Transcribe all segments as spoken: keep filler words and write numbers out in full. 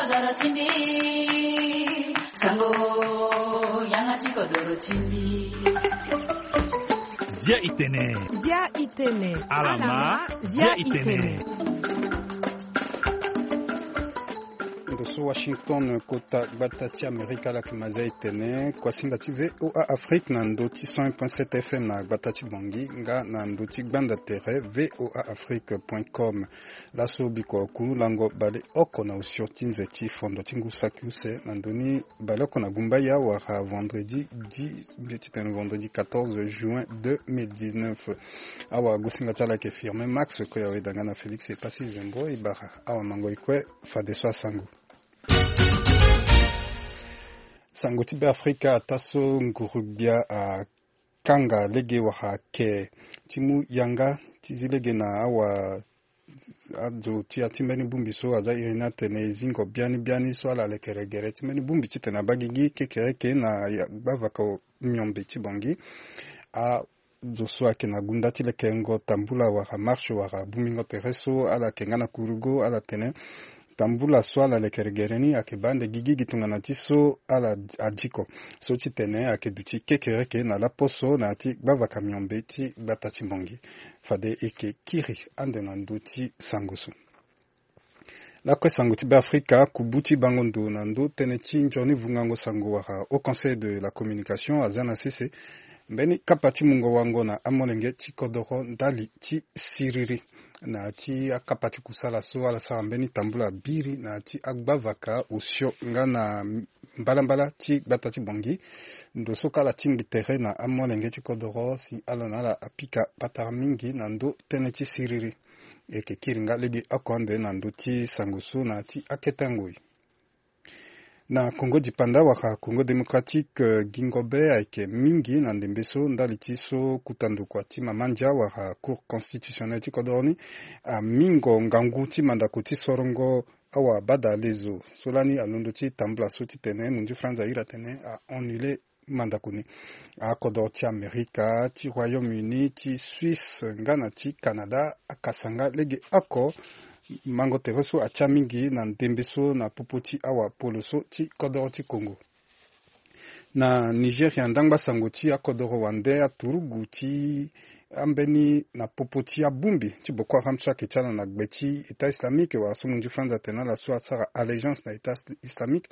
Doro ti mbi, sango, yanga ti kodoro ti mbi. Zia i tene. Zia i tene. Alama, zia i tene. Ndo so Washington, kota gbata ti Amerika, ala yeke ma zia i tene. Kuasinga ti V O A Afrique na ndo ti cent un point sept F M na gbata ti Bangui, nga na ndo ti gbanda tere V O A Afrique point com. Laso biko ku lango baleoko na osio ti nze ti fondo ti ngu saki use na ndoni baleoko na Gumbaya wala vendredi dix, mbi ti tene vendredi quatorze juin deux mille dix-neuf. Awa gosinga ti ala yeke Firmin Max Koya, weda nga na Félix Epassi Zembo Ibara. Awa mango e kue fadeso asango. Sango ti Beafrika, ataa so nguru-gbia akanga lege wala ake ti mu yanga ti zi lege na awa azo ti ya ti mbeni bongbi so aza iri ni atene e zingo biani biani so ala lekere gere ti mbeni bongbi titene abaa gigi kekereke na ya gbavaka miombe ti Bangui. Azo so ayeke na gunda ti lekengo tambula wala marche wala bongbingo tere so ala yeke nga na kurugo, ala tene tambula so ala lekere gere ni ayeke baa ande gigi gi tongana ti so ala adiko so titene ayeke duti kekereke na laposo na ya ti gbavaka miombe ti gbata ti Bangui. Fade e yeke kiri ande na ndö ti sango so. Lakue sango ti Beafrika, kubu ti bango ndo na ndö tënë ti nzoni vungango sango wala Haut Conseil de la Communication aza na sese mbeni kapa ti mungo wango na amolenge ti kodoro ndali ti siriri na ya ti akapa ti kusala so ala sara mbeni tambula biri na ya ti agbavaka osio nga na mbalambala ti gbata ti Bangui. Ndo so kâ ala tingbi tere na amolenge ti kodoro si ala na ala apika patara mingi na ndö tënë ti siriri. E yeke kiri nga legeoko ande na ndö ti sango so na ya ti akete ngoi. Na Congo dipanda wala Congo démocratique, eh, gingo be ayeke mingi na ndembe so ndali ti so kota ndokua ti mama ndia wala Cour constitutionnelle ti kodoro ni amingo ngangu ti mandako ti sorongo awa bada lezo so lani alondo ti tambula so titene munzu franz airi atene a annuler mandako ni. Akodoro ti Amerika, ti Royaume-Uni, ti Suisse nga na ti Canada akasa nga legeoko mango tere so atia mingi na ndembe so na popo ti awa polo so ti kodoro ti Congo. Na Nigeria, ndangba sango ti akodoro wande aturugu ti ambeni na popo ti abongbi ti Boko Haram so ayeke ti ala na gbe ti État islamique wala so munzu franz atene ala so asara allégeance na État islamique,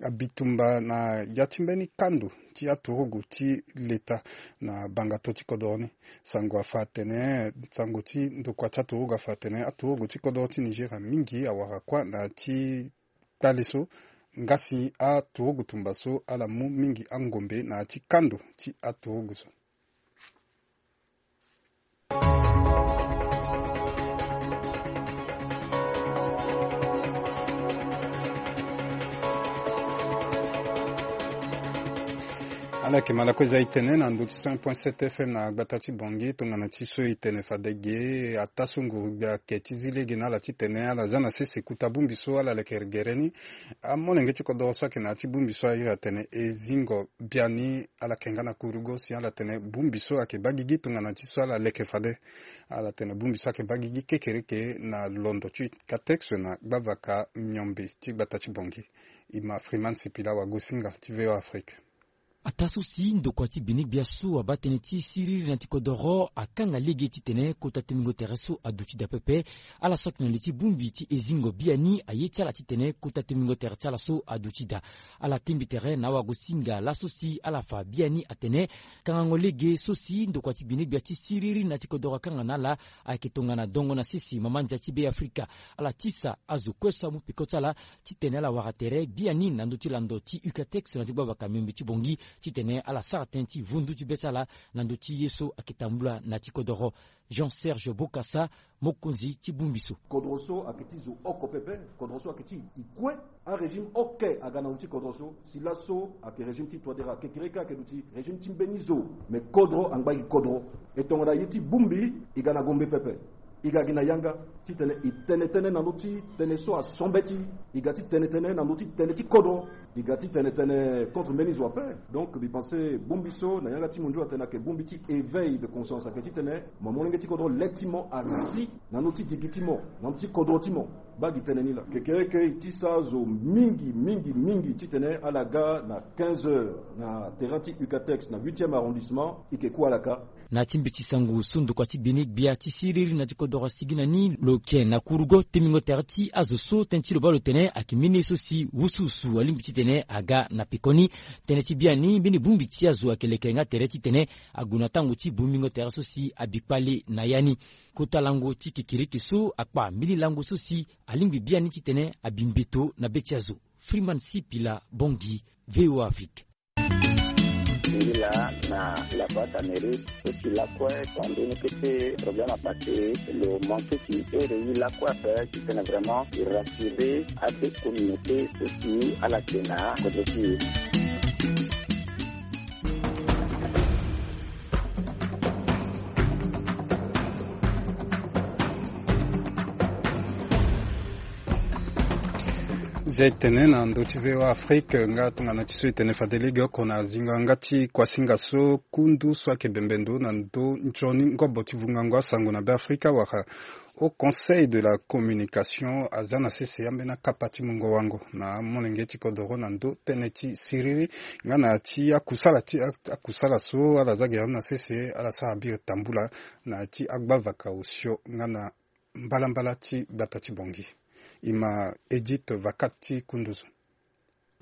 abitumba na ya ti mbeni kando ti aturugu ti leta na bangato ti kodoro ni. Sango afa atene, sango ti ndokua ti aturugu afa atene aturugu ti kodoro ti Nigeria mingi awara kuâ na ya ti kpale so, nga si aturugu tumba so ala mu mingi angombe na ya ti kando ti aturugu so. Ala yeke ma lakue za e tene na ndö ti cent point sept F M na gbata ti Bangui, tongana ti so e tene fade ge, ataa so nguru-gbia ake ti zi lege na ala titene ala za na sese kota bongbi so ala lekere gere ni. Amolenge ti kodoro so ayeke na ya ti bongbi so airi atene e zingo biani, ala yeke nga na kurugo si ala tene bongbi so ayeke baa gigi tongana ti so ala leke fade. Ala tene bongbi so ayeke baa gigi kekereke na londo ti UCATEX na gbavaka miombe ti gbata ti Bangui. E ma Freeman Sipila, wagosinga ti V O A Afrique. Ataa so si ndokua ti gbene-gbia so abaa tënë ti siriri na ti kodoro akanga lege titene kota tengbingo tere so aduti daa pepe. Ala so ayeke na li ti bongbi ti e zingo biani aye ti ala titene kota tengbingo tere ti ala so aduti daa. Ala tingbi tere na awagosinga laso si ala fa biani atene kangango lege so si ndokua ti gbene-gbia ti siriri na ti kodoro akanga na ala ayeke tongana dongo na sese mama ndia ti Beafrika. Ala tisa azo kue so amu peko ti ala titene ala wara tere biani na ndö ti lando ti UCATEX na ti gbavaka miombe ti Bangui titene ala sara tënë ti vundu ti be ti ala na ndö ti ye so ayeke tambula na ti kodoro. Jean Serge Bokassa, mokonzi ti bongbi so. Kodro so ayeke ti zo oko pepe, kodro so ayeke ti e kue. Arégime oke aga na ndo ti kodro so, si laso ayeke régime ti Touadéra, kekereke ayeke duti régime ti mbeni zo. Me kodro angba gi kodro. E tongana ye ti bongbi e ga na Gombe pepe. E ga gi na yanga titene e tene tënë na ndö ti tënë so asombe ti e, e ga ti tene tënë na ndö ti tënë ti kodro, e ga ti tene tënë contre mbeni zo ape. Donc mbi pense bongbi so na yanga ti mondio atene ayeke bongbi ti éveil de conscience, ayeke titene mo molenge ti kodro le ti mo azi na ndö ti gigi ti mo, na ndö ti kodro ti mo. Baa gi tënë ni laa. Kekereke e ti sara zo mingi mingi mingi titene ala ga na quinze heures na terrain ti Ucatex na huitième arrondissement, e yeke ku ala kâ. Na ti mbeti sango so ndokua ti gbeni gbia ti siriri na ti kodoro asigi na ni lo yeke na kurugo temingo tere ti azo so tënë ti lo baa lo tene ayeke mbeni ye so si wusuwusu alingbi titene aga na pekoni. Tënë ti biani mbeni bongbi ti azo ayeke leke nga tere titene ague na tango ti bongbingo tere so si abi kpale na ya ni. Kota lango ti kekereke so akpa mbeni lango so si alingbi biani titene abi mbeto na be ti azo. Freeman Sipila, Bangui, V O A Afrique. Ngila na la boîte Amérique, so ti lakue, quand on était problème à passer, le manque qui est réuni lakue, c'est que vraiment, il rassurer à des communautés, so ti ala yeke na kodro ti e. Zia e tene na ndö ti V O A Afrique, nga tongana ti so e tene fade lege oko na zingo yanga ti kuasinga so kundu so ayeke bembe ndo na ndö nzoni ngobo ti vungango asango na Beafrika wala Haut Conseil de la Communication aza na sese ambeni akapa ti mungo wango na amolenge ti kodoro na ndö tënë ti siriri nga na ti akusala ti akusala so ala za gere na sese ala sara biri tambula na ti agbavaka osio nga na mbalambala ti gbata ti Bangui. E ma Edith Vakat ti kundu zo.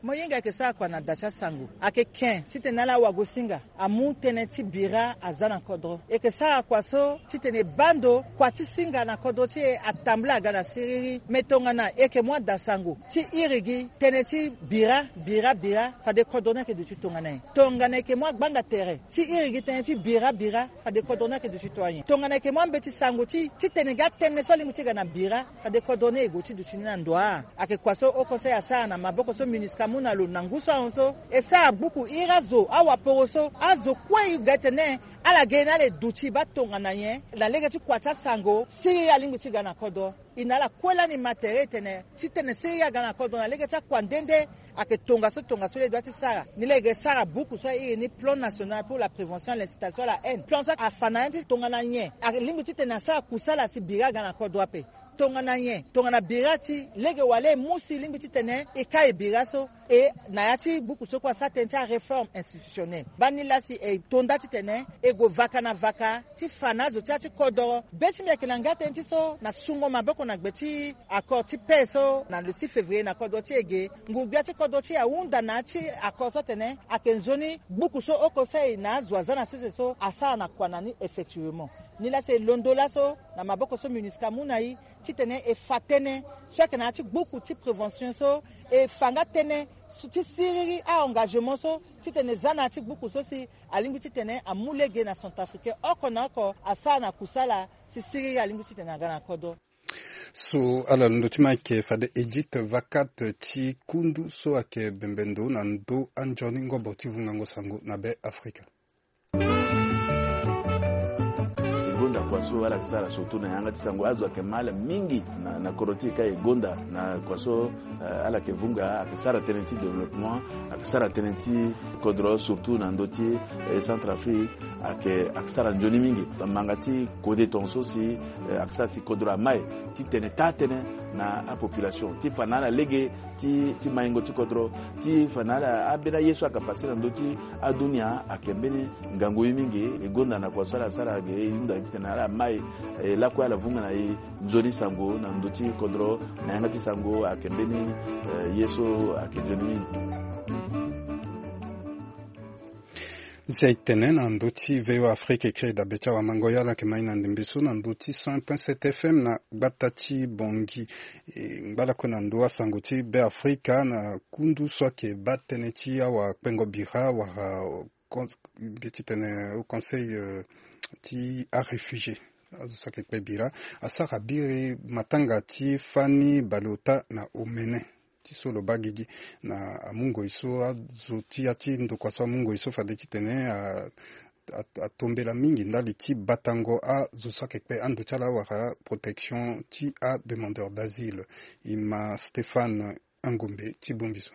Mo hinga eke sara kua na da ti asango? Ake ken titene ala wagosinga amu tënë ti bira aza na kodro. Eke sara kua so titene e baa ndo kua ti singa na kodro ti e atambula aga na siriri. Me tongana eke mu adasango ti iri gi tënë ti bira, bira, bira, fade kodro ni ayeke duti tongana nyen? Tongana eke mu agbanda tere ti iri gi tënë ti bira, bira, fade kodro ni ayeke duti tongana nyen? Tongana eke mu ambeti sango ti titene gi atënë so alingbi ti ga na bira, fade kodro ni e gue ti duti ni na ndo wa? Ayeke kua so Haut Conseil asara na maboko so MINUSCA amu na lo na ngu so ahon so. E sara gbuku iri azo awaporo so azo kue e ga tene ala ge ni ala e duti baa tongana nyen na lege ti kua ti asango siriri alingbi ti ga na kodro. E na ala kue lani ma tere e tene titene siriri aga na kodro na lege ti akua nde nde ayeke tongaso tongaso lege ti sara. Ni lege sara buku so airi ni Plan National pour la Prévention et l'Incitation à la Haine. Plan so afa na ya ti tongana nyen alingbi titene asara kusala si bira aga na kodro ape. Tongana nyen? Tongana bira ti lege wala e mu si lingbi titene e kai bira so. E na ya ti buku so kue asara tënë ti aréforme institutionnelle. Baa ni laa si e to nda titene e gue vaka na vaka ti fa na azo ti ya ti kodoro. Be ti mbi ayeke na nga tënë ti so na sungo maboko na gbe ti accord ti paix so na le six février na kodro ti e ge. Ngu-gbia ti kodro ti e ahunda na ya ti accord so atene ayeke nzoni gbuku so Haut Conseil na azo aza na sese so asara na kua na ni effectivement. Ni laa si e londo laso na maboko so MINUSCA amu na e titene e fa tënë so ayeke na ya ti gbuku ti prévention so e fa nga tënë so ti siriri a-engagement so titene e za na ya ti gbuku so si alingbi titene amu lege na Centrafricain oko na oko asara na kusala si siriri alingbi titene aga na kodro. So ala londo ti ma ayeke fade Edith Vakat ti kundu so ayeke bembe ndo na ndö anzoni ngobo ti vungango sango na Beafrika. E gonda kua so ala yeke sara surtout na yanga ti sango azo ayeke ma ala mingi na, na kodro ti e ka e gonda na kua so, eh, ala yeke vunga ayeke sara tënë ti développement, ayeke sara tënë ti kodro surtout na ndö ti, eh, Centrafrique ayeke, ayeke sara nzoni mingi. Manga ti kode tongaso si, eh, ayeke sara si kodro amai titene taa tënë na apopulation ti fa na ala lege ti, ti maingo ti kodro ti fa na ala ambeni aye so ayeke pase na ndö ti adunia ayeke mbeni ngangu ye mingi. E gonda na kua so ala sara ge e hunda titene ala mai, eh, lakue ala vunga na e nzoni sango na ndö ti kodro na yanga ti sango ayeke mbeni, eh, ye so ayeke nzoni mingi. Si aye tene na ndö ti V O A Afrique e kiri dabe ti awamango ye ala yeke ma e na ndembe so na ndö ti cent point sept F M na gbata ti Bangui. E ngba lakue na ndö asango ti Beafrika na kundu so ayeke baa tënë ti awakpengo bira wala, mbi ye ti tene au conseil, euh, ti aréfugié. Azo so ayeke kpe bira asara biri matanga ti fani baleota na omene. Ti so lo baa gigi na amungoi so azo ti ya ti ndokua so amungoi so fade titene a atombela mingi ndali ti batango azo so ayeke kpe ando ti ala wala protection ti ademandeur d'asile. E ma Stéphane Engombe ti bongbi so.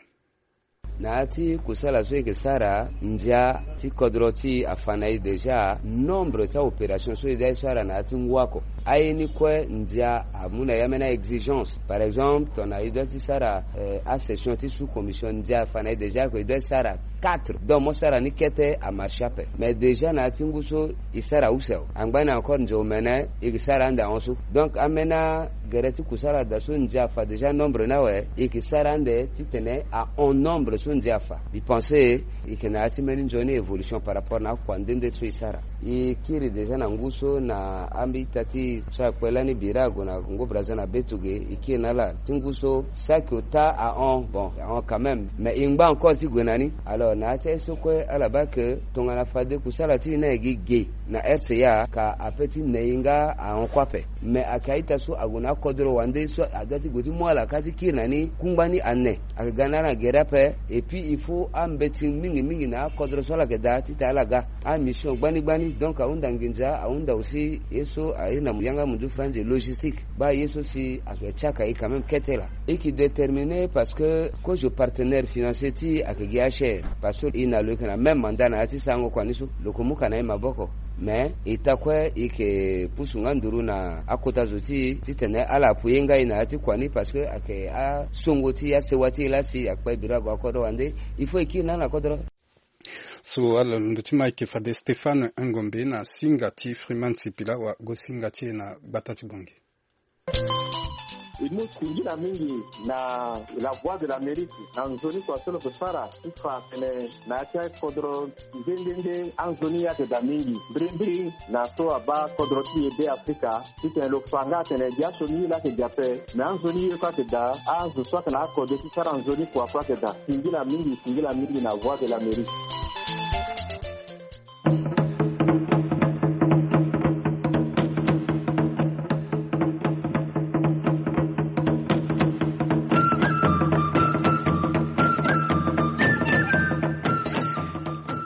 Na ya ti kusala so e yeke sara, ndia ti kodro ti e afa na e déjà nombre ti aopération so e dä e sara na ya ti ngu oko. Aye ni kue ndia amu na e ambeni a-exigence. Par exemple tongana e dä ti sara asession ti sous commission, ndia afa na e déjà ke e dä ti sara quatre. Donc mo sara ni kete amarche ape. Mais déjà na ya ti ngu so e sara use awe, angba ni encore ndia omene e yeke sara ande ahon so. Donc ambeni agere ti kusala daa so ndia afa déjà nombre ni awe, e yeke sara ande titene ahon nombre so ndia afa. Mbi pense e yeke na ya ti mbeni nzoni évolution par rapport na akua nde nde so e sara. E kiri déjà na ngu so na ambi ita ti e so akpe lani bira ague na Congo Brazza na be tuge, e kiri na ala ti ngu so saki ota ahon, bon ahon quand même, mais e ngba encore ti gue na ni. Alors na ya ti aye so kue ala baa ke tongana fade kusala ti e ni ayeke ge na R C A, ka ape ti ne e nga ahon kue ape. Mais ayeke a-ita so ague na akodro wande so adua ti gue ti mu ala ka ti kiri na ni kungba ni ane. Ayeke ga na ala na gere ape. Et puis il faut ambeti mingi mingi na akodro so ala yeke daa titene ala ga amission gbani gbani. Donc ahunda nginza, ahunda aussi ye so aye na yanga munzu franzi logistique. Baa ye so si ayeke tiaka e quand même kete laa. E yeke déterminer parce que kozo partenaire financier ti e ayeke gi H R. Parce que e na lo yeke na même mandat na ya ti sarango kua ni so, lo yeke mu ka na e maboko. Mais e ta kue e yeke pusu nga nduru na akota zo ti e titene ala appuyer nga e na ya ti kua ni, parce que ayeke asongo ti asewa ti e laa si akpe bira ague akodro wande. Il faut e kiri na ala na kodro. So ala londo ti ma ayeke fade Stéphane Engombe na singa ti Freeman Sipila wa go singa ti e na gbata ti Bangui. E mu singila mingi na La Voix de l'Amérique na nzoni kua so lo yeke sara ti fa atene na ya ti akodro nde nde nde anzoni ye ayeke daa mingi mbirimbiri na so abaa kodro ti e Be Afrika. Titene lo fa nga atene gi asioni ye laa ayeke gi ape, me anzoni ye kue ayeke daa, azo so ayeke na akode ti sara nzoni kua kue ayeke daa. Singila mingi, singila mingi na Voix de l'Amérique.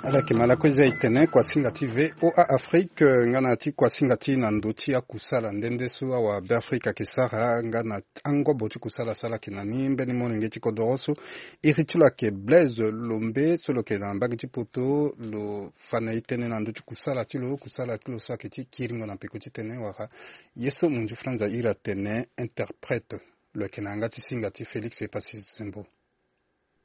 Ala yeke ma lakue za e tene kuasinga ti V O A Afrique nga na ya ti kuasinga ti na ndö ti akusala nde nde so awa Be Afrika ayeke sara nga na angobo ti kusala so ala yeke na ni mbeni molenge ti kodoro so. Iri ti lo ayeke Blaise Lombe so lo yeke na mbage ti poto, lo fa na e tënë na ndö ti kusala ti lo, kusala ti lo so ayeke ti kiringo na peko ti tënë wala ye so munzu franza iri atene interprète. Lo yeke na yanga ti singa ti Félix Epassi Zembo.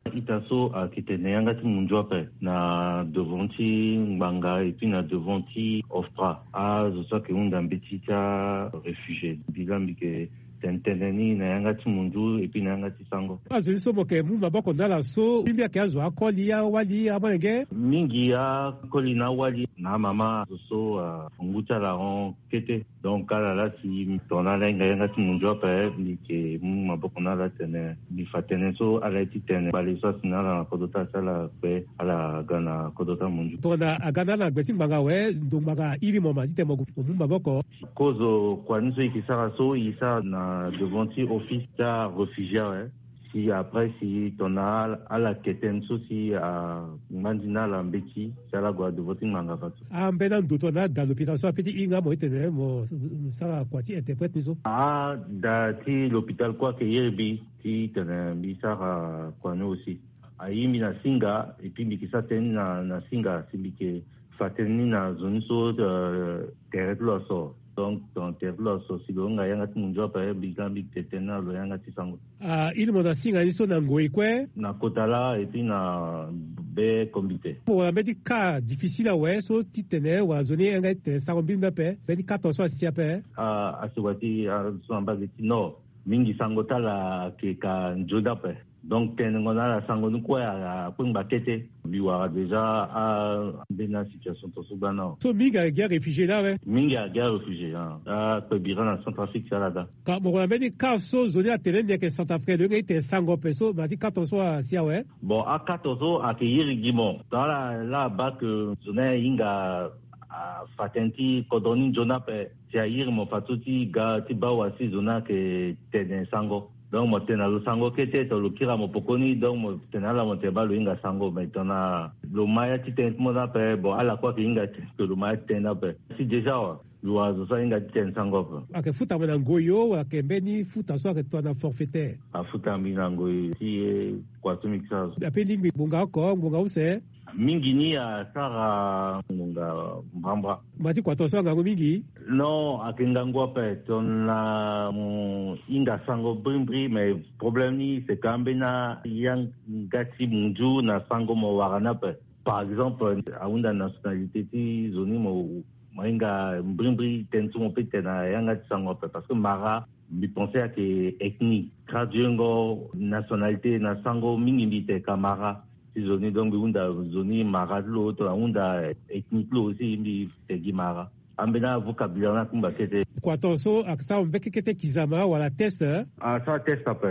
Ita so ayeke tene yanga ti munzu ape na devant ti ngbanga et puis na devant ti OFPRA, azo so ayeke hunda mbeti ti aréfugié. Mbi laa mbi yeke tene tënë ni na yanga ti munzu et puis na yanga ti sango. Azo ni so mo yeke mu maboko na ala so mbi mbi ayeke azo akoli awali amolenge. Mingi akoli na awali na amama, azo so afa ngu ti ala ahon kete. Donc ala laa si tongana ala hinga yanga ti munzu ape, mbi yeke mu maboko na ala tene mbi fa tënë so ala ye ti tene. Bale so asi na ala na kodro ti ala si ala kpe, ala ga na kodro ti amunzu. Tongana aga na ala na gbe ti ngbanga awe, ndo ngbanga airi mo ma titene mo gue mo mu maboko. Kozo kua ni so e yeke sara so, e sara na devant ti office ti aréfugié awe. Si après si tongana ala, ala ke tënë so si angbandi na ala mbeti, si ala gue na devant ti ngbanga fadeso. Ambeni ando tongana ada l'hôpital so ape ti hinga mo titene mo sara kua ti interprète ni so? Ada ti l'hôpital kue ayeke iri mbi titene mbi sara kua ni aussi. Aye mbi na singa, et puis mbi yeke sara tënë ni na, na singa si mbi yeke fa tënë ni na zo ni so, euh, tere ti lo aso. Donc tongana tere ti lo aso, si lo hinga yanga ti munzu ape, mbi ga mbi yeke tene tënë na lo yanga ti sango. Ah, iri mo na singa ni so na ngoi kue? Na kota laa et puis na be kombi te. Mo wara mbeti cas difficile awe so titene wala zo ni yanga ti tene sango mbirimbiri ape, mbeti cas tongaso asi ape? Ah, asi wati, ah, so na mbage ti nord. Mingi sango ti ala ayeke ka nzoni ape. Donc tenengo na ala sango ni kue akpengba kete. Mbi wara déjà ambeni asituation tongaso gbani awe. So mingi ayeke gi aréfugié ni awe? Mingi ayeke gi aréfugié, ah. Akpe bira na Centrafrique si ala ga. Ka mo gue na mbeni cas so zo ni atene ni ayeke Centrafricain, lo yeke tene sango ape so, ma ti cas tongaso asi awe? Bon, a-cas tongaso ayeke iri gi mo. Tongana ala laa abaa ke zo ni ahinga afa tënë ti kodro ni nzoni ape, si airi mo fadeso ti ga ti baa wala si zo ni ayeke tene sango. Donc mo tene na lo sango kete to lo kiri na mo poko ni, donc mo tene na ala mo tene baa lo hinga sango. Mais tongana lo ma ya ti tene ti mo ni ape, bon, ala kue ayeke hinga tene ke lo ma ya ti tene ni ape. Si déjà wa lo wara zo so ahinga ti tene sango ape. Ayeke futa mo na ngoi o, wala ayeke mbeni futa so ayeke tongana forfaitaire? Afuta mbi na ngoi ti ye kua so mbi sara so. Ape lingbi ngbonga oko, ngbonga use? Mingi ni asara ngonga mbrambra. Mo ma ti kua tongaso angangu mingi? Non, ayeke ngangu ape. Tongana mo hinga sango brimbri, mais problème ni c'est que ambeni ayanga ti munzu na sango mo wara ni ape. Par exemple, ahunda nationalité ti zo ni, mo mo hinga brimbri tënë so mo peut tene na yanga ti sango ape, parce que mara mbi pense ayeke ethnie, traduire ngo nationalité na sango mingi mbi tene ka mara ti zo ni. Donc mbi hunda zo ni mara ti lo, tongana ahunda ethnie ti lo aussi mbi tene gi mara. Ambeni avocabulaire ni akungba kete. Kua tongaso asara mbekekete kizama wala test? Asara test ape.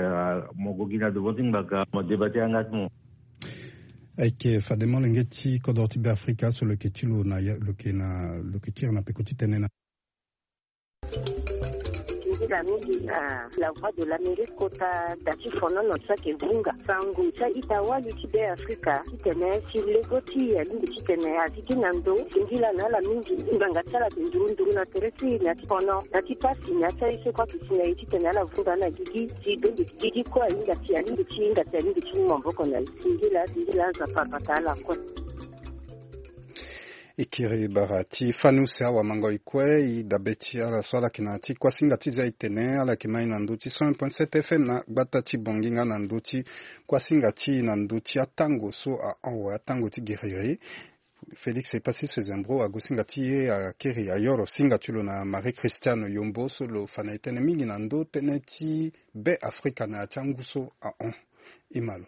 Mo gue gi na devant ti ngbanga, mo débat ti yanga ti mo. Ayeke fade molenge ti kodro ti Beafrika so lo yeke ti lo na ya- lo yeke na lo yeke ti iri na peko ti tene na. Nzila mingi na La Voix de l'Amérique kota da ti fonono so ayeke vunga sango ti a-ita wali ti Beafrika titene si lego ti e alingbi titene azi gi na ndo singila na ala mingi. Ngbanga ti ala ayeke nduru nduru na tere ti e na ti fono na ti pasi na ya ti aye so kue ayeke si na e titene ala vunga na gigi ti donde gigi kue ahinga ti alingbi ti hinga ti alingbi ti mu maboko na e. Singila singila Nzapa abata ala kue. E kiri bara ti fani use awamango e kue. E dabe ti ala so ala yeke na ya ti kuasinga ti zia e tene ala yeke ma e na ndö ti cent un point sept F M na gbata ti Bongi nga na ndö ti kuasinga ti e na ndö ti atango so ahon awe atango ti giriri. Félix Epassis Sezembro ague singa ti e akiri ayoro singa ti lo na Marie Christiane Yombo so lo fa na e tënë mingi na ndö tënë ti Beafrika na ya ti angu so ahon. E ma lo.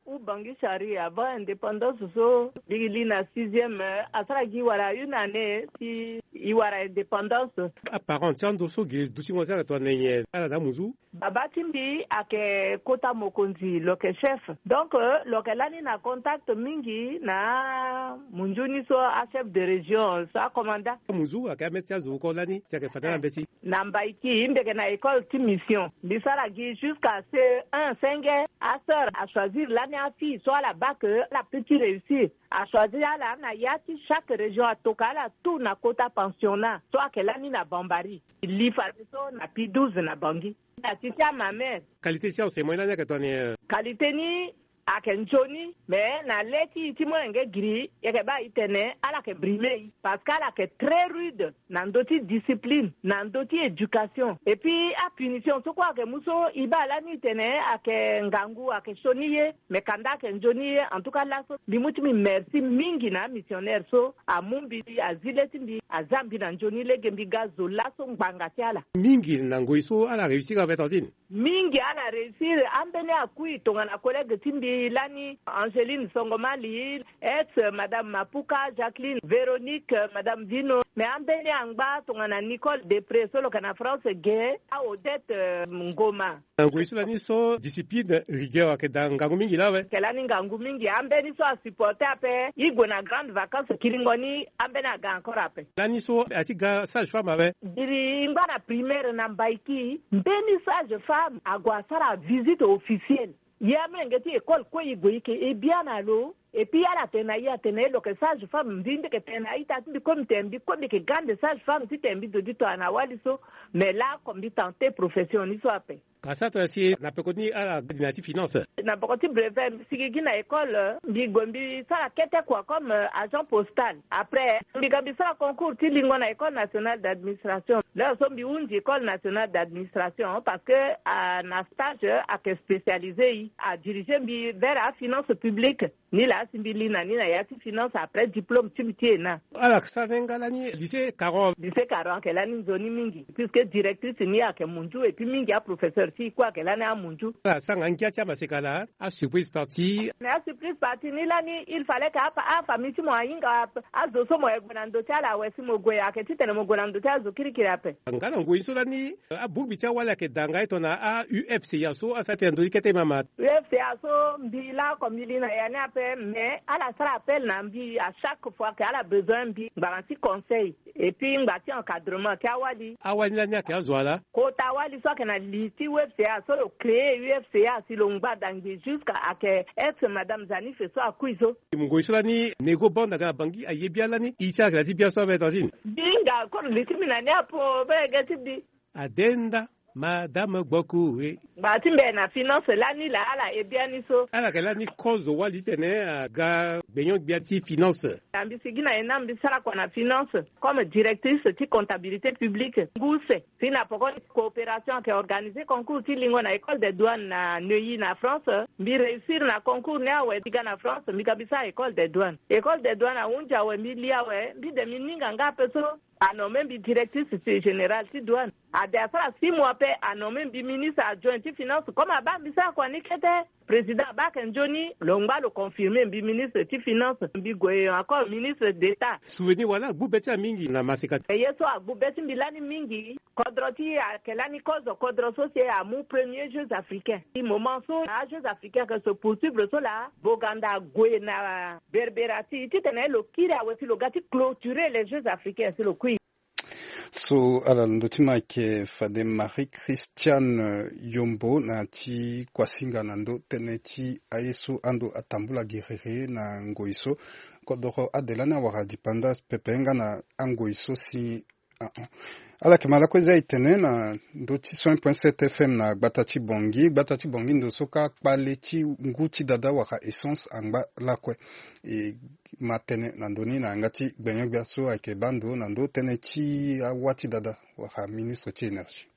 Ou Bangi Chari avant indépendance so mbi li na sixième, asara gi wara une année si e wara indépendance. Aparent ti ando so gi dutingo ti ala tongana nyen? Ala na amunzu. Baba ti mbi ayeke kota mokonzi, lo yeke chef. Donc lo yeke lani na contact mingi na munzu ni so achef de région so acommandant. Amunzu ayeke ameti azo oko lani si ayeke fade na mbeti. Na Mbaiki mbi yeke na école ti mission. Mbi sara gi jusqu'à C E un, senge. Asœur achoisir lani afille so ala baa ke ala peut ti réussir. Achoisir ala na ya ti chaque région, atoka ala tout na kota pensionnat so ayeke lani na Bambari. Li fadeso na P douze na Bangui. Na ti ti amamere. Qualité ti enseignement ni lani ayeke tongana nyen? Qualité ni ayeke nzoni, mais na le ti e ti molenge giri, e yeke baa e tene ala yeke brime e, parce que ala yeke très rude na ndö ti discipline, na ndö ti éducation. Et puis apunition so kue ayeke mu so e baa lani e tene ayeke ngangu, ayeke sioni ye, mais kanda ayeke nzoni ye. En tout cas laso mbi mu ti mbi merci mingi na amissionnaire so amu mbi, azi le ti mbi, aza mbi na nzoni lege mbi ga zo laso ngbanga ti ala. Mingi na ngoi so ala réussir ape tantine. Mingi ala réussir. Ambeni akui tongana collègue ti mbi lani Angeline Songomali, ex madame Mapuka, Jacqueline, Véronique, madame Vino, mais ambeni angba tongana Nicole Depré so lo yeke na France ge, a Odette, euh, Ngoma. Na ngoi so lani so discipline, rigueur ayeke daa ngangu mingi laa awe. Ayeke lani ngangu mingi. Ambeni so asupporte ape, e gue na grande vacance kiringo ni, ambeni aga encore ape. Lani so ati ga sage femme awe. Diri e ngba na primaire na Mbaiki, mbeni sage femme ague asara visite officielle. Ye amolenge ti école kue e gue e yeke e bia na lo. Et puis ala tene na e atene lo yeke sage femme, mbi mbi yeke tene na a-ita ti mbi kue mbi tene mbi kue mbi yeke grande sage femme titene mbi zo ti tongana wali so. Mais laoko mbi tente profession ni so ape. Ka sara tongana si na peko ni ala gi na ya ti finance. Na peko ti brevet mbi sigi gi na école, mbi gue mbi sara kete kua comme, euh, agent postal. Après mbi ga mbi sara concours ti lingo na école nationale d'administration. L'heure so mbi hunzi école nationale d'administration parce que, ah, na stage ayeke spécialisé e, adirige mbi vers afinance publique. Ni laa si mbi li na ni na ya ti finance après diplôme ti mbi ti E N A. Ala sara ni nga lani lycée Caron. Lycée Caron ayeke lani nzoni mingi puisque directrice ni ayeke munzu et puis mingi aprofesseur ti e kue ayeke lani amunzu. Ala sara nga ngia ti amaseka na asurprise party. Na asurprise party ni lani il fallait que afa afamille ti mo ahinga azo so mo yeke gue na ndö ti ala awe si mo gue ayeke titene mo gue na ndö ti azo kirikiri ape. Nga na ngoi so lani abongbi ti awali ayeke daa nga e tongana a-U F C A so asara tene ndö ti kete mama. U F C A so mbi laoko mbi li na ya ni ape. Mais ala sara appel na mbi à chaque fois que ala besoin mbi ngbanga ti conseil et puis ngba ti encadrement ti awali. Awali lani ayeke azo ala? Kota wali so ayeke na li ti U F C A so lo créer U F C A si lo ngba dangbi jusqu'à ayeke ex madame Zanife so akui so. Ngoi so lani Nego Band aga na Bangui aye bia lani i ti ala ayeke na ti bia so abe tantine. Mbi hinga koro li ti mbi na ni apo be ge ti mbi. Adenda madame Gboku e. Ngba ti mbi na finance lani laa ala e biani so. Ala yeke lani kozo wali titene aga gbenyo-gbia ti finance. Na mbi sigi na e na mbi sara kua na finance comme directrice ti comptabilité publique ngu use. Si na poko ni coopération ayeke organiser concours ti lingo na école des douanes na Neuilly na France. Mbi réussir na concours ni awe. Mbi ga na France mbi ga mbi sara école des douanes. École des douanes ahunzi awe mbi li awe mbi de mbi ninga nga ape so. Anommé mbi directrice générale ti douane. Ade asara six mois pe anommé mbi ministre adjoint ti finance comme abaa mbi sara kua ni kete. Président abaa ayeke nzoni lo ngba lo confirmer mbi ministre ti finance mbi gue encore ministre d'état. Souvenir wala agbu be ti amingi na maseka. Ye so agbu be ti mbi lani mingi. Kodro ti ayeke lani kozo kodro so si amu premier jeux africains ti moment so ajeux africains ayeke se poursuivre so laa boganda ague na berbera ti titene lo kiri awe si lo ga ti clôturer les jeux africains si lo kui. So ala na ndö ti mike fade Marie Christiane Yombo na ti kuasinga na ndö tënë ti aye so ando atambula gerere na ngoi so. Kodoro ade lani awara dipanda pepe nga na angoi so si. Ala yeke ma lakue za e tene na ndö ti cent point sept F M na gbata ti Bangui. Gbata ti Bangui ndo so kâ kpale ti ngu ti dada wala essence angba lakue. E ma tënë na ndö ni na yanga ti gbenyo-gbia so ayeke baa ndo na ndö tënë ti awâ ti dada wala ministre ti énergie.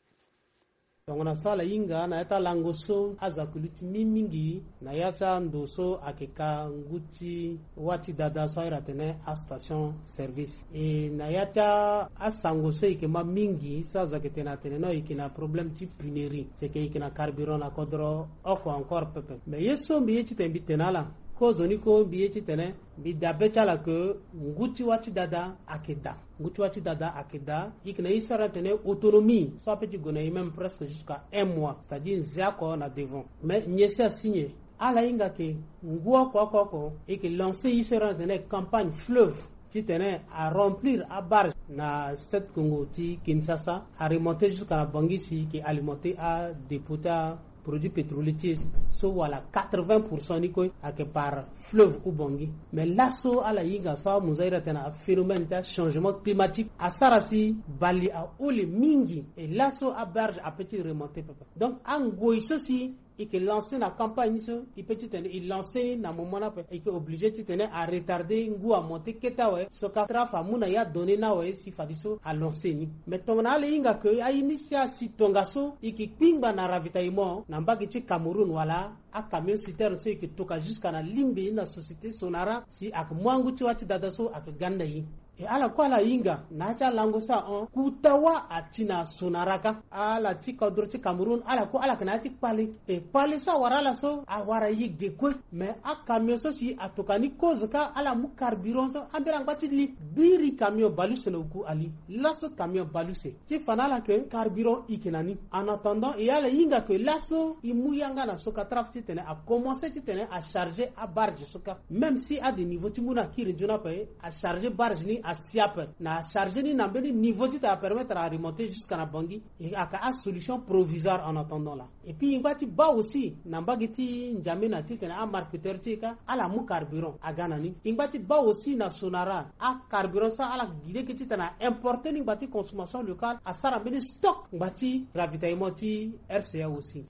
Tongana so ala hinga na ya ti alango so azo ayeke luti mingi mingi na ya ti ando so ayeke ka ngu ti wâ ti dada so ahiri atene astation service. E na ya ti asango so e yeke ma mingi so azo ayeke tene atene non e yeke na problème ti punerie seke e yeke na carburant na kodro oko encore pepe. Mais ye so mbi ye titene mbi tene ala kozoni ko mbi ye titene mbi dabe ti ala ke ngu ti wâ ti dada ayeke daa. Ngu ti wâ ti dada ayeke daa. E yeke na ye so ala tene autonomie so ape ti gue na e même presque jusqu'à un mois c'est-à-dire nze oko na devant. Mais nyen si asigne ala hinga ke ngu oko oko oko e yeke lancer ye so ala tene campagne fleuve titene aremplir abarge na Sept Kongo ti Kinshasa aremonter jusqu'à na Bangui si e yeke alimenter adépôt ti aproduit pétrolier ti e so wala quatre-vingts pour cent ni kue ayeke par fleuve ou Bangui. Mais laso ala hinga so amunzu ahiri atene aphénomène ti achangement climatique asara si bale ahole mingi. E laso abarge ape ti remonter pepe. Donc angoi so si e yeke lancer na campagne ni so e peut titene e lancer ni na moment ni ape e yeke obligé titene aretarder ngu amonter kete awe so ka trafe amu na ya donné ni awe si fadeso alancer ni. Mais tongana ala hinga ke aye ni si asi tongaso e yeke kpingba na ravitaillement na mbage ti Cameroun wala acamion citerne so e yeke toka jusqu'à na lingbi na société Sonara si ayeke mu angu ti wâ ti dada so ayeke ga ni na e. E ala kue ala hinga na ya ti alango so ahon kuta wâ ati na Sonara kâ. Ala ti kodro ti Cameroun ala kue ala yeke na ya ti kpale. E kpale so awara ala so awara ye ge kue. Mais acamion so si atoka ni kozo kâ ala mu carburant so ambeni angba ti li biri camion baleuse na oku ali. Laso camion baleuse ti fa na ala ke carburant e yeke na ni. En attendant e ala hinga ke laso e mu yanga na Socatraf titene akomanse titene acharger abarge so kâ. Même si ade niveau ti mu na akiri nzoni ape acharger barge ni asi ape na acharger ni na mbeni niveau titene apermettre aremonter jusqu'à na Bangui. E ayeke asolution provisoire en attendant là. Et puis e ngba ti baa aussi na mbage ti N'Djamena titene amarketeur ti e kâ ala mu carburant aga na ni. E ngba ti baa aussi na Sonara acarburant so ala gi lege titene aimporter ni ngba ti consommation locale asara mbeni stock ngba ti ravitaillement ti R C A aussi.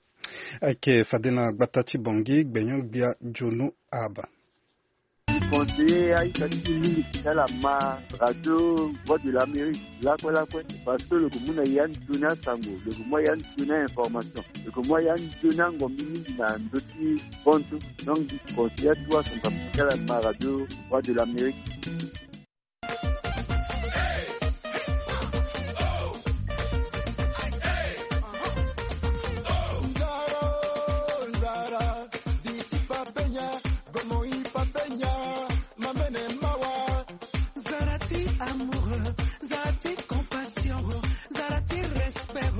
Ayeke fade na gbata ti Bangui gbenyo-gbia Djono Ahaba. Conseiller aita ti mingi ti ala ma radio Voix de l'Amérique lakue lakue parce que lo yeke mu na ya nzoni asango, lo yeke mu ya nzoni ainformation, lo yeke mu ya nzoni angombi mingi na ndö ti kontu. Donc mbi conseiller atuwa son papa ti ala ma radio Voix de l'Amérique. Zara ti amoureux, zara ti compassion, zara ti respect,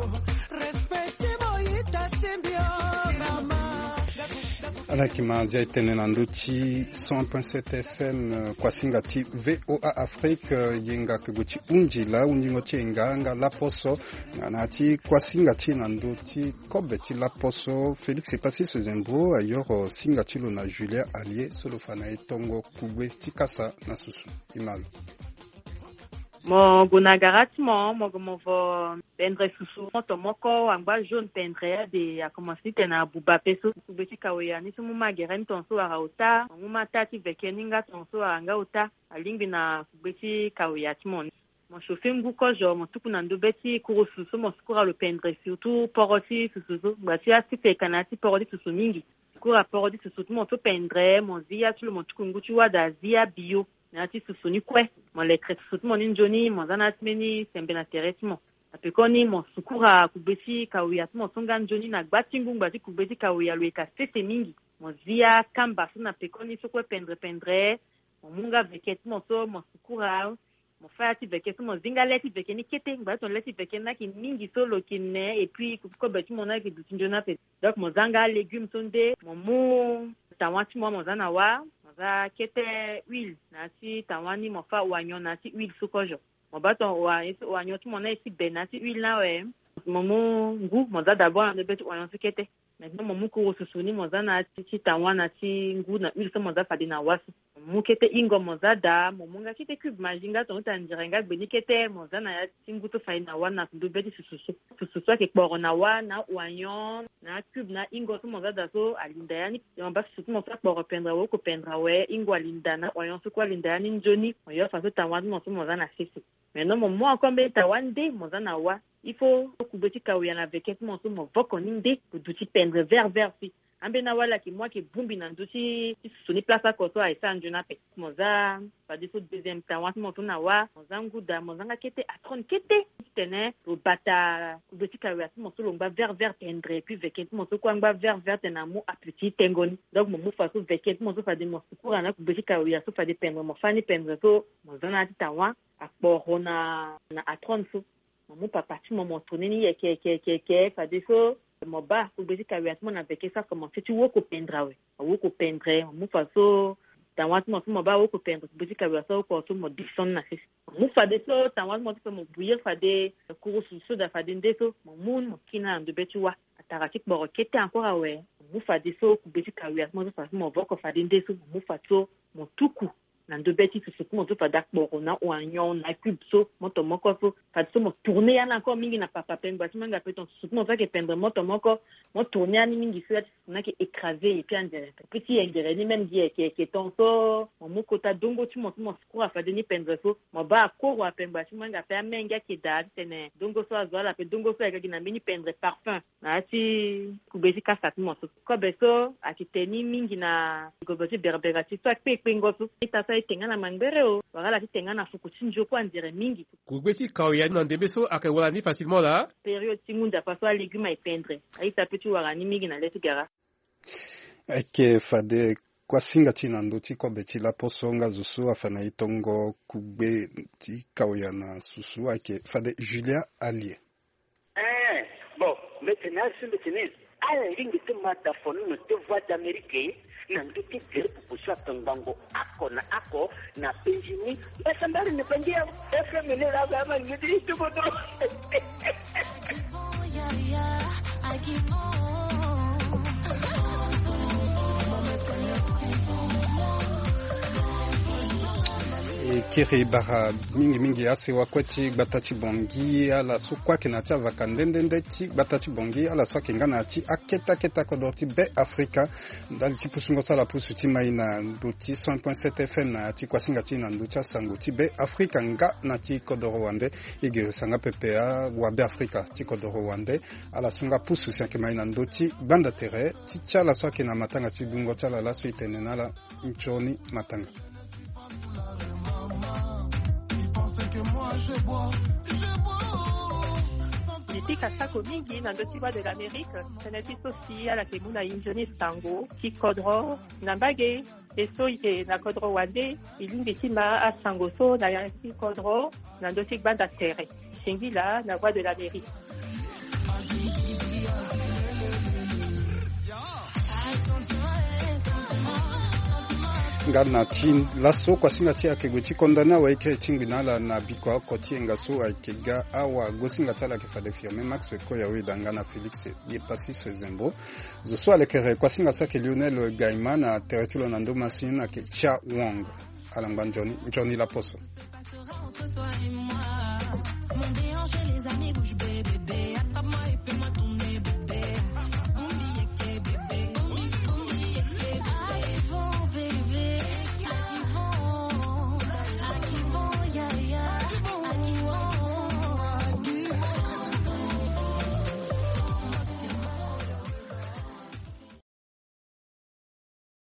respect ti mo ita ti mbi o mama. Ala yeke ma zia e tene na ndö ti cent point sept F M, eh, kuasinga ti V O A Afrique, eh, yenga kegbo ti hunzi laa hunzingo ti e nga nga laposo. Na, na ya ti kuasinga ti e na ndö ti kobe ti laposo, Félix Epassis Zembo ayoro singa ti lo na Julien Allier so lo fa na e tongo kugbe ti kasa na susu. E ma lo. Mo gue na gara ti mo, mo gue mo vo pendre susu, moto moko angba jaune pendre ade, akomanse ti tene abuba pe so. Kugbe ti kawea ni so mu ma gere ni tongaso wara ota, mo mu ma taa ti veke ni nga tongaso wara nga ota. Alingbi na kugbe ti kawea ti mo ni. Mo chauffer ngu kozo, mo tuku na ndo be ti kurusu so mo sukura lo pendre, surtout poro ti susu so. Ngba ti asite ka na ya ti poro ti susu mingi. Sukura poro ti susu ti mo so pendre, mo zi ya ti lo, mo tuku ngu ti wada, zi abio na ya ti susu ni kue. Mo letre susu ti mo ni nzoni, mo za na ya ti mbeni sembe na tere ti mo. Na pekoni mo sukura kugbe ti kawea ti mo so nga nzoni na gba ti ngu. Ngba ti kugbe ti kawea lo yeke sese mingi. Mo zi akamba so na pekoni so kue pendre pendre. Mo mu nga veke ti mo so mo sukura. Mo fa ya ti veke so mo zi nga le ti veke ni kete. Ngba ti tongana le ti veke ni ayeke mingi so lo yeke ne, et puis kobe ti mo ni ayeke duti nzoni ape. Donc mo za nga légume so nde, mo mu tawa ti mo, mo za na wa, mo za kete huile na ya ti tawa ni, mo fa oignon na ya ti huile so kozo. Mo baa ton oignon ti mo ni aye ti be na ya ti huile ni awe. Mo mu ngu, mo za d'abord na ndo be ti oignon so kete. Maintenant mo mu kurusu ni, mo za na ya ti, ti tawa na ya ti ngu na huile so mo za fade na wa so. Mo mu kete hingo, mo za daa, mo mu nga kete cube Maggi nga tongaso ti anzere nga gbe ni kete, mo za na ya ti ngu so fade na wa na ndo be ti susu so. Susu so ayeke kporo na wa na oignon na cube na hingo so mo za daa so, alinda ya ni. Mo baa susu ti mo so akporo pendre awe, oko pendre awe, hingo alinda na oignon so kue alinda ya ni nzoni, mo yo faso tawa ti mo so mo za na sese. Maintenant mo mu encore mbeni tawa nde, mo za na wa. Il faut kugbe ti kawea na veke ti mo so mo voko ni nde, lo duti pendre vert vert si. Ambeni awa ala yeke mu ayeke bongbi na ndö ti, ti susu ni place oko so aye sara nzoni ape. Mo za fadeso deuxième tawa ti mo so na wa, mo za ngu daa, mo za nga kete atrone kete. Ti tene lo bata kugbe ti kawea ti mo so lo ngba vert vert pendre, et puis veke ti mo so kue angba vert vert tene amu appétit ti tengo ni. Donc mo mu faso veke ti mo so fade mo sukura na kugbe ti kawea so fade pendre, mo fa ni pendre so, mo za na ya ti tawa akporo na, na atrone so. Mo mu papa ti mo, mo tourner ni yeke yeke yeke yeke, fadeso mo baa kugbe ti kawea ti mo na veke so akomanse ti woko pendre awe. Awoko pendre, mo mu faso tawa ti mo so mo baa awoko pendre, kugbe ti kawea so awoko so mo descendre na sese. Mo mu fadeso tawa ti mo so pe mo bouillir fade kurusu so daa fade nde so, mo mu ni mo kiri ni na ndo be ti wa. Atara ti kporo kete encore awe. Mo mu fadeso kugbe ti kawea ti mo so faso mo voko fade nde so, mo mu faso mo tuku na ndo be ti susu ti mo so fade akporo na oignon na cube so, moto moko so. Fadeso mo tourner ya ni encore mingi na papa pengba ti mo nga pe ton susu ti mo so ayeke pendre moto moko. Mo tourner ya ni mingi so ya ti susu ni ayeke écraser, et puis anzere pe ti yengere ni même gi yeke yeke ton so. Mo mu kota dongo ti mo so mo sukura fade ni pendre so. Mo baa akoro apengba ti mo nga pe amenge ayeke daa ti tene dongo so azo ala pe dongo so ayeke gi na mbeni pendre parfum. Na ya ti kugbe ti kasa ti mo so. Kobe so ayeke te ni mingi na gobo ti berbera ti so akpe kpengo so. Ita so aye te nga na mangbere o, wala ala ti te nga na fuku ti nzio kue anzere mingi. Kugbe ti kawea ni na ndembe so ayeke wara ni facilement laa. Période ti ngu nzapa so alégume aye pendre, aita pe ti wara ni mingi na le ti gara. Ayeke fade kuasinga ti e na ndö ti kobe ti laposo nga zo so afa na e tongo kugbe ti kawea na susu ayeke fade Julia Allier. Eh, bon, mbeti ni asi mbeti ni. Ala lingbi ti ma da fonono ti Voix d'Amérique na ndö ti gere popo so atongbango oko na oko na penzi ni. Mbasambali na bangi ya F M ni la ba ma ni ti tubodo. E kiri bara mingi mingi asewa kue ti gbata ti Bangui, ala so kue ayeke na ya ti avaka nde nde nde ti gbata ti Bangui, ala so ayeke nga na ya ti akete akete akodoro ti Be Afrika. Ndali ti pusungo so ala pusu ti mai na ndö ti cent point sept F M na ya ti kuasinga ti e na ndö ti asango ti Be Afrika nga na ti kodoro wande. E girisa nga pepe awabe Afrika ti kodoro wande. Ala so nga pusu si ayeke mai na ndö ti gbanda tere ti ti ala so ayeke na matanga ti dungo ti ala laso e tene na ala. Nzoni matanga. Mbi pika sako mingi na ndö ti Voix de l'Amérique, tënë ti so si ala yeke mu na e nzoni sango ti kodro na mbage. E so e yeke na kodro wande, e lingbi ti ma asango so na ya ti kodro na ndö ti gbanda tere. Singila na Voix de l'Amérique. Nga na ti laso kuasinga ti e ayeke gue ti condamné awa eke ti ngbi na ala na bikua oko ti e nga so ayeke ga awa. Gosinga ti ala ayeke fade firme Max Ekoya, Weda nga na Félix Yepasi Sezembo. Zo so alekere kuasinga so ayeke Lionel Gaima na tere ti lo na ndo masini ayeke Cha Wong. Ala ngba nzoni nzoni laposo. Mon déhanché, les amis, bouge bébé, attrape-moi et fais-moi tout.